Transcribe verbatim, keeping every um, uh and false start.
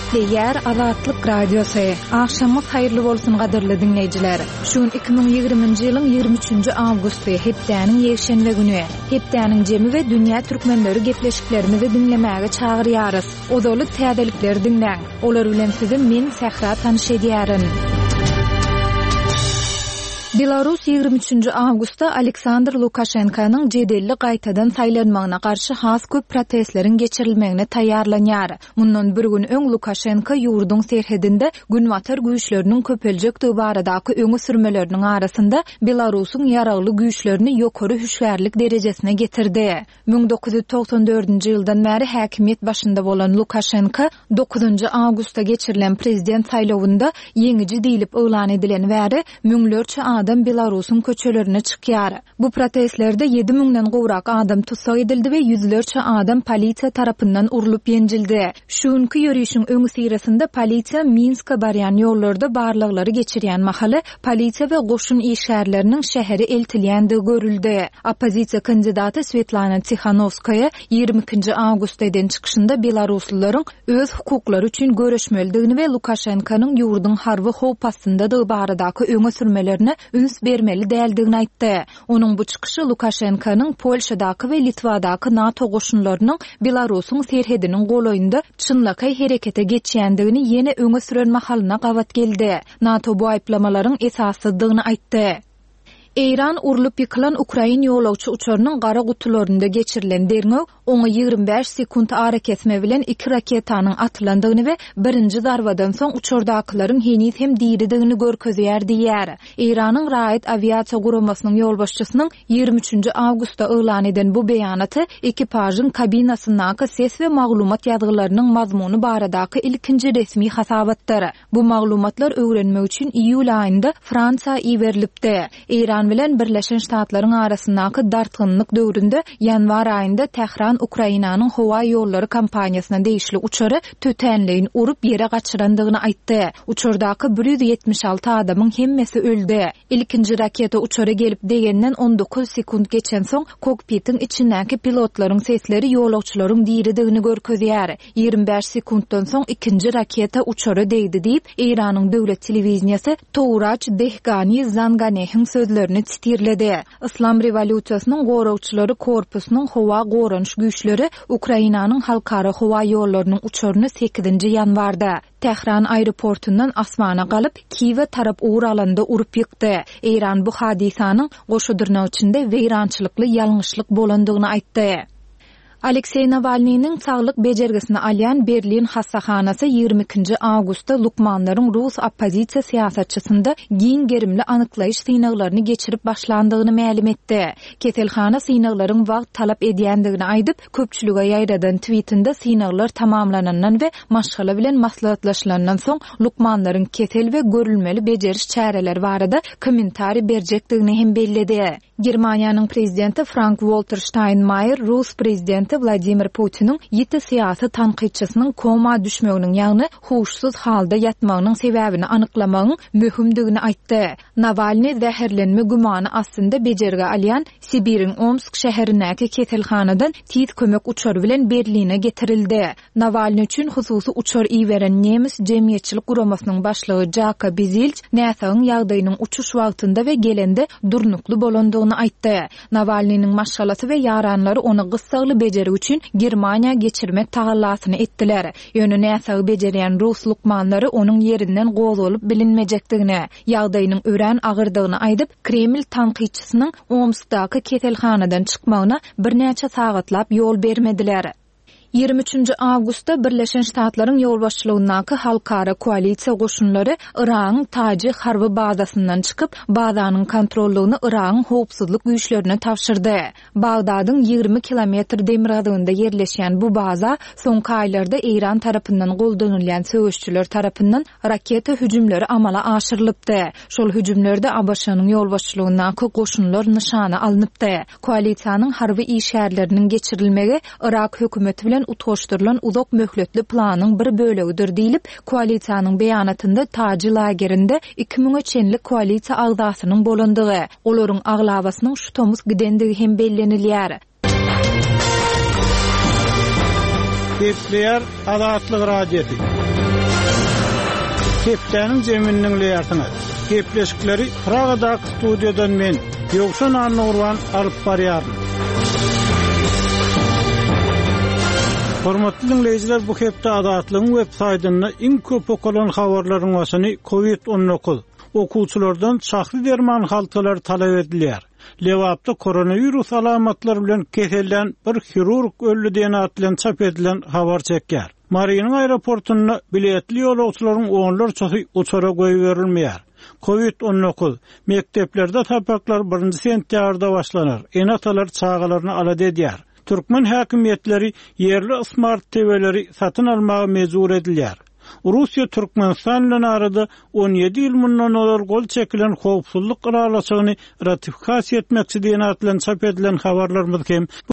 Gepleýär Azatlyk Radiosy. Agşamyňyz haýyrly bolsun gadyrly diňleýjiler. Şu gün iki müň ýigriminji ýylyň ýigrimi üçünji awgusty, hepdäniň ýekşenbe güni. Hepdäniň jemi we dünýä türkmenleri gepleşiklerimizi diňlemäge çagyrýarys. Ozaly täzelikleri diňläň. Olar bilen sizi men Sähra tanyş edýärin. Belarus ýigrimi üçünji awgustda Aleksandr Lukaşenkanyň jedelli gaýtadan saýlanmagyna garşy has köp protestleriň geçirilmegine taýýarlanýar. Mundan bir gün öň Lukaşenko ýurduň serhedinde günbatar güýçleriniň köpeljekdigi baradaky öňe sürmeleriniň arasynda Belarusyň ýaragly güýçlerini ýokary hüşgärlik derejesine getirdi. Müň dokuz ýüz togsan dördünji ýyldan bäri häkimiýet başynda bolan Lukaşenko dokuzynjy awgustda geçirilen prezident saýlawynda ýeňiji diýlip yglan edilen bäri müňlerçe adam Belarusyň köçelerine çykýar. Bu protestlerde ýedi müňden gowrak adam tussag edildi we ýüzlerçe adam polisiýa tarapyndan urlup ýenjildi. Şu günki ýörişiň öňüsyrasynda polisiýa Minska barýan ýollarda barlaglary geçirýän mahaly polisiýa we goşun işgärleriniň şähere eltilýändigi görüldi. Oppozisiýa kandidaty Svetlana Tihanowskaýa ýigrimi ikinji awgustda eden çykyşynda belaruslylaryň öz hukuklary üçin göreşmelidigini we Lukaşenkanyň ýurduň harby howp astyndadygy baradaky öňe sürmelerine üns bermeli däldigini aýtdy. Onuň bu çykyşy Lukaşenkanyň Polşadaky we Litwadaky NATO goşunlarynyň Belarusyň serhediniň golaýynda çynlakaý herekete geçýändigini ýene öňe süren mahalyna gabat geldi. NATO bu aýyplamalaryň esassyzdygyny aýtdy. Eýran urlup ýykylan Ukrain ýolagçy uçarynyň gara gutularynda geçirilen derňew oňa ýigrimi bäş sekunt arakesme bilen iki raketanyň atylandygyny we birinji zarbadan soň uçardakylaryň heniz hem diridigini görkezýär diýýär. Eýranyň raýat awiasiýa guramasynyň ýolbaşçysynyň ýigrimi üçünji awgustda yglan eden bu beýanaty ekipažyň kabinasyndaky ses we maglumat ýazgylarynyň mazmuny baradaky ilkinji resmi hasabatdyr. Bu maglumatlar öwrenmek üçin iýul aýynda Fransiýa iberilipdi. Eýran bilen Birleşen Ştatlaryň arasyndaky dartgynlyk döwründe ýanwar aýynda Tähran Ukrainanyň howa ýollary kompaniýasyna degişli uçary tötänleýin urup ýere gaçyrandygyny aýtdy. Uçardaky bir ýüz ýetmiş alty adamyň hemmesi öldi. Ilkinji raketa uçara gelip degenden on dokuz sekunt geçen soň kokpitiň içindäki pilotlaryň sesleri ýolagçylaryň diridigini görkezýär. Ýigrimi bäş sekuntdan soň ikinji raketa uçara degdi diýip, Eýranyň döwlet telewiziyası Touraç Dehgani Zanganehiň sözlerini titirledi. Islam rewolýusiýasynyň goragçylary korpusynyň howa goranyş güýçleri Ukrainanyň halkara howa ýollarynyň uçaryny sekizinji ýanwarda Tähran aeroportundan asmana galyp, Kiýewe tarap ugur alanda urup ýykdy. Eýran bu hadysanyň goşudyrnak içinde weýrançylykly ýalňyşlyk bolandygyny aýtdy. Aleksey Nawalnynyň saglyk bejergisini alýan Berlin hastahanasy ýigrimi ikinji awgustda lukmanlaryň Rus oppozisiýa syýasatçysynda giň gerimli anyklaýyş synaglaryny geçirip başlandygyny mälim etdi. Keselhana synaglaryň wagt talap edýändigini aýdyp, köpçülige ýaýradan tweetinde synaglar tamamlanandan we maşgala bilen maslahatlaşylandan soň lukmanlaryň kesel we görülmeli bejeriş çäreleri barada kommentariý berjekdigini hem belledi. Germaniýanyň prezidenti Frank-Walter Steinmeier Rus prezidenti Vladimir Putiniň ýiti syýasy tankytçysynyň koma düşmeginiň, ýagny huşsuz halda ýatmagynyň sebäbini anyklamagyň möhümdigini aýtdy. Nawalny zäherlenme gümany astynda bejergi alýan Sibiriň Omsk şäherindäki keselhanadan tiz kömek uçary bilen Berline getirildi. Nawalny üçin hususy uçar iberen nemes jemgyýetçilik guramasynyň başlygy Jaka Bizilç näsagyň ýagdaýynyň uçuş wagtynda we gelende durnukly bolandygyny aýtdy. Nawalnynyň maşgalasy we ýaranlary ony gyssagly bejergi üçin Germaniýa geçirmek tagallasyny etdiler. Ýöne näsagy bejerýän rus lukmanlary onuň ýerinden gozgalyp bilinmejekdigini, ýagdaýynyň örän agyrdygyny aýdyp, Kreml tankytçysynyň Omskdaky keselhanadan çykmagyna birnäçe sagatlap ýol bermediler. Ýigrimi üçünji awgustda Birleşen Ştatlaryň ýolbaşçylygyndaky halkara koalisiýa goşunlary Yragyň Taji harby bazasyndan çykyp, bazanyň kontrollygyny Yragyň howpsuzlyk güýçlerine tabşyrdy. Bagdadyň ýigrimi kilometr demirgazygynda ýerleşýän bu baza soňky aýlarda Eýran tarapyndan goldanylýan söweşçiler tarapyndan raketa hüjümleri amala aşyrylypdy. Şol hüjümlerde A B Ş-nyň ýolbaşçylygyndaky goşunlar nyşana alnypdy. Koalisiýanyň harby işgärleriniň geçirilmegi Yrak hökümeti bilen utgaşdyrylan uzak möhletli planyň bir bölegidir diýlip, koalisiýanyň beýanatynda Taji lagerinde iki müňe çenli koalisiýa agzasynyň bolandygy, olaryň aglabasynyň şu tomus gidendigi hem bellenilýär. Gepleýär Azatlyk Radiosy. Hepdäniň jemini diňleýärsiňiz. Gepleşikleri Pragadaky studiýadan men, Ýowşan Annagurban alyp barýaryn. Hormatly dinleýjiler, bu hepde Azatlygyň web saýtynda iň köp okalan habarlaryň başyny COVID on dokuz okuwçylardan şahsy derman haltalary talap edilýär. Lebapda koronawirus alamatlary bilen kesellen bir hirurg öldi diýen at bilen çap edilen habar çekýär. Marynyň aeroportunda biletli ýolagçylaryň onlarçasy uçara goýberilmeýär. COVID on dokuz mekdeplerde sapaklar birinji sentýabrda başlanar. Ene-atalar çagalaryny alada edýär. Türkmen häkimiýetleri ýerli smart T V-leri satyn almaga mejbur edilýär. Russiýa Türkmenistan bilen arada on ýedi ýyl mundan ozal gol çekilen howpsuzlyk ylalaşygyny ratifikasiýa etmekçi diýen at bilen çap edilen habarlarymyz hem